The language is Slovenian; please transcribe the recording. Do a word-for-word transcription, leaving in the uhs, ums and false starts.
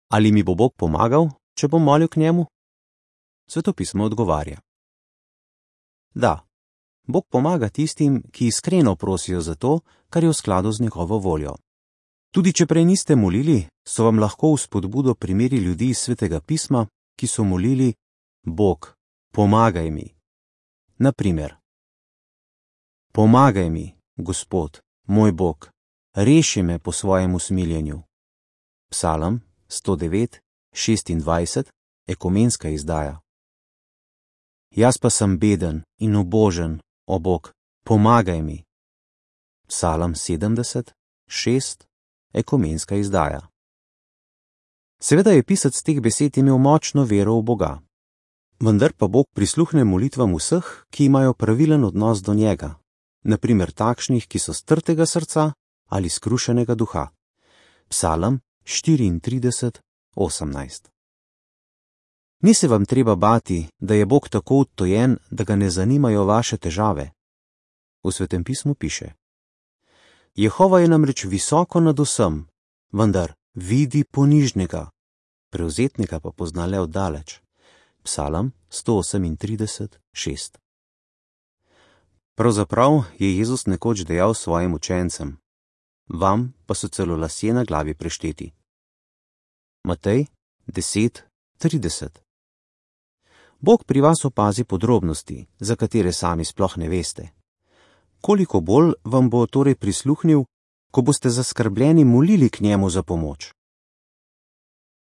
Ali mi bo Bog pomagal, če bom molil k njemu? Svetopismo odgovarja: da, Bog pomaga tistim, ki iskreno prosijo za to, kar je v skladu z njegovo voljo. Tudi če prej niste molili, so vam lahko v spodbudo primeri ljudi iz Svetega pisma, ki so molili: Bog, pomagaj mi. Na primer: Pomagaj mi, Gospod, moj Bog, reši me po svojem usmiljenju. Psalm sto devet, šestindvajset, ekumenska izdaja. Jaz pa sem beden in ubožen, o Bog, pomagaj mi. Psalm sedemdeset, šest, ekumenska izdaja. Seveda je pisec teh besed imel močno vero v Boga. Vendar pa Bog prisluhne molitvam vseh, ki imajo pravilen odnos do njega, na primer takšnih, ki so strtega srca ali skrušenega duha. Psalm štiriintrideset, osemnajst. Ni se vam treba bati, da je Bog tako odtojen, da ga ne zanimajo vaše težave. V Svetem pismu piše: Jehova je namreč visoko nad vsem, vendar vidi ponižnega, prevzetnika pa pozna le oddaleč. Psalm sto osemintrideset, šest. Pravzaprav je Jezus nekoč dejal svojim učencem: vam pa so celo lasje na glavi prešteti. Matej deset, trideset. Bog pri vas opazi podrobnosti, za katere sami sploh ne veste. Koliko bolj vam bo torej prisluhnil, ko boste zaskrbljeni molili k njemu za pomoč.